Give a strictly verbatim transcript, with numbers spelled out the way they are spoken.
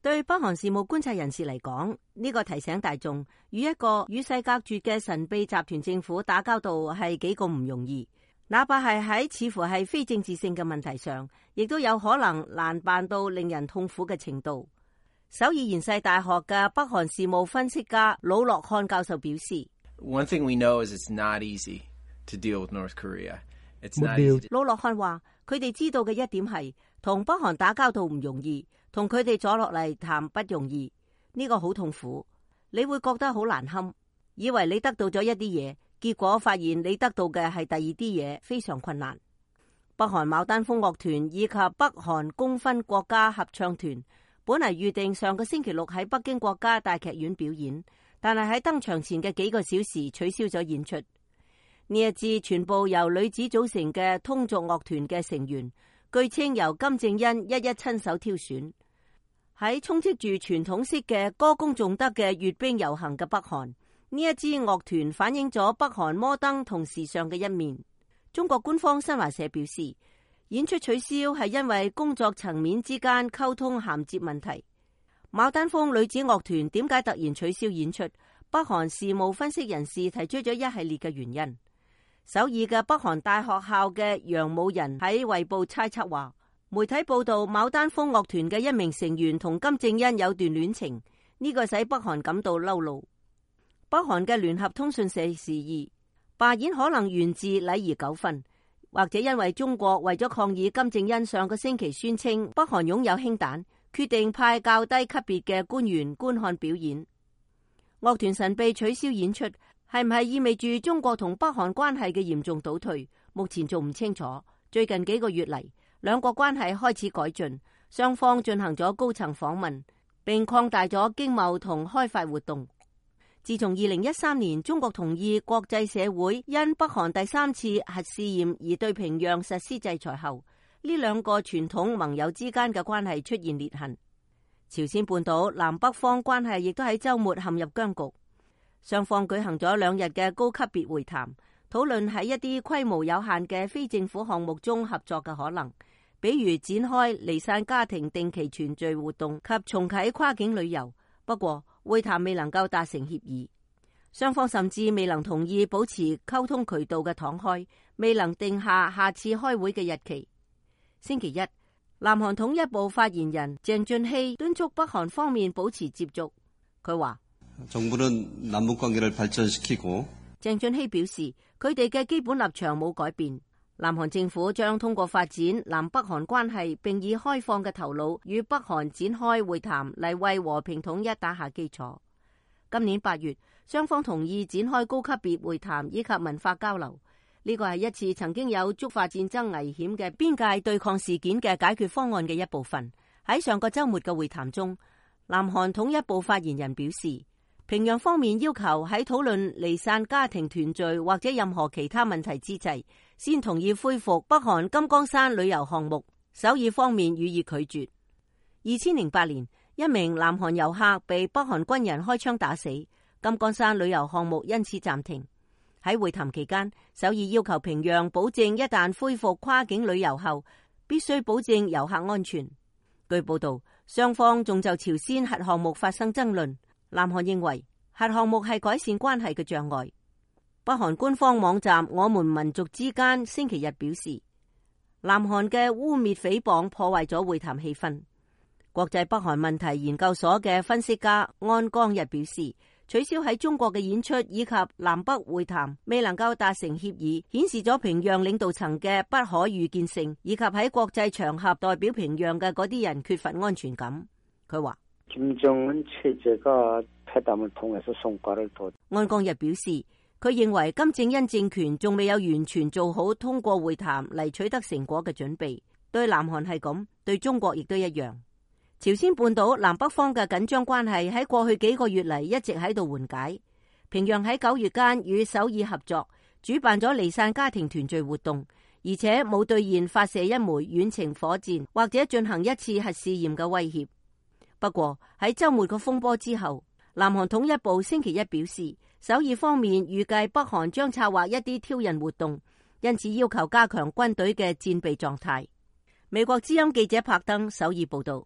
對北韓事務觀察人士嚟講，呢個提醒大眾，與一個與世隔絕嘅神秘集團政府打交道係幾咁唔容易。哪怕係喺似乎係非政治性嘅問題上，亦都有可能難辦到令人痛苦嘅程度。首爾延世大學嘅北韓事務分析家魯諾漢教授表示 ：One thing we know is it's not easy to deal with North Korea. It's not easy. 魯諾漢話：佢哋知道嘅一點係，同北韓打交道唔容易，同佢哋坐落嚟談不容易。呢個好痛苦，你會覺得好難堪，以為你得到咗一啲嘢。結果發現你得到嘅係第二啲嘢，非常困難。北韓牡丹峰樂團以及北韓公分國家合唱團本嚟預定上個星期六喺北京國家大劇院表演，但係喺登場前嘅幾個小時取消咗演出。呢一支全部由女子組成嘅通俗樂團嘅成員，據稱由金正恩一一親手挑選。喺充斥住傳統式嘅歌功頌德嘅閱兵遊行嘅北韓，呢一支樂團反映咗北韓摩登同時尚嘅一面。中國官方新華社表示，演出取消係因為工作層面之間溝通銜接問題。牡丹峰女子樂團點解突然取消演出？北韓事務分析人士提出咗一系列嘅原因。首爾嘅北韓大學校嘅楊武仁喺衛報猜測話，媒體報道牡丹峰樂團嘅一名成員同金正恩有段戀情，呢、這個使北韓感到嬲怒。北韓嘅聯合通訊社示意，罷演可能源自禮儀糾紛，或者因為中國為咗抗議金正恩上個星期宣稱北韓擁有氫彈，決定派較低級別嘅官員觀看表演。樂團神秘取消演出，係唔係意味住中國同北韓關係嘅嚴重倒退？目前仲唔清楚。最近幾個月嚟，兩國關係開始改進，雙方進行咗高層訪問，並擴大咗經貿同開發活動。自從二零一三年中國同意國際社會因北韓第三次核試驗而對平壤實施制裁後，呢兩個傳統盟友之間嘅關係出現裂痕。朝鮮半島南北方關係亦都喺週末陷入僵局。雙方舉行咗兩日嘅高級別會談，討論喺一啲規模有限嘅非政府項目中合作嘅可能，比如展開離散家庭定期團聚活動及重啟跨境旅遊。不過會談未能夠達成協議，雙方甚至未能同意保持溝通渠道嘅敞開，未能定下下次開會嘅日期。星期一，南韓統一部發言人鄭俊熙敦促北韓方面保持接觸。佢話：정부는 남북 관계를 발전시키고鄭俊熙表示，佢哋嘅基本立場冇改變。南韓政府將通過發展南北韓關係，並以開放嘅頭腦與北韓展開會談嚟為和平統一打下基礎。今年八月，雙方同意展開高級別會談以及文化交流。呢個係一次曾經有觸發戰爭危險嘅邊界對抗事件嘅解決方案嘅一部分。喺上個週末嘅會談中，南韓統一部發言人表示，平壤方面要求喺討論離散家庭團聚或者任何其他問題之際，先同意恢復北韓金剛山旅遊項目。首爾方面予以拒絕。二千零八年，一名南韓遊客被北韓軍人開槍打死，金剛山旅遊項目因此暫停。喺會談期間，首爾要求平壤保證一旦恢復跨境旅遊後，必須保證遊客安全。據報道，雙方仲就朝鮮核項目發生爭論。南韓認為核項目係改善關係嘅障礙。北韓官方網站我們民族之間星期日表示，南韓嘅污衊誹謗破壞咗會談氣氛。國際北韓問題研究所嘅分析家安江日表示，取消喺中國嘅演出以及南北會談未能夠達成協議，顯示咗平壤領導層嘅不可預見性，以及喺國際場合代表平壤嘅嗰啲人缺乏安全感。佢話김정은체제가 회담을 통해서 성과를 더安江日表示，佢認為金正恩政權仲未有完全做好通過會談嚟取得成果嘅準備。對南韓係咁，對中國亦都一樣。朝鮮半島南北方嘅緊張關係喺過去幾個月嚟一直喺度緩解。平壤喺九月間與首爾合作，主辦咗離散家庭團聚活動，而且冇兌現發射一枚遠程火箭或者進行一次核試驗嘅威脅。不過喺週末個風波之後，南韓統一部星期一表示，首爾方面預計北韓將策劃一啲挑釁活動，因此要求加強軍隊嘅戰備狀態。美國之音記者柏登首爾報道。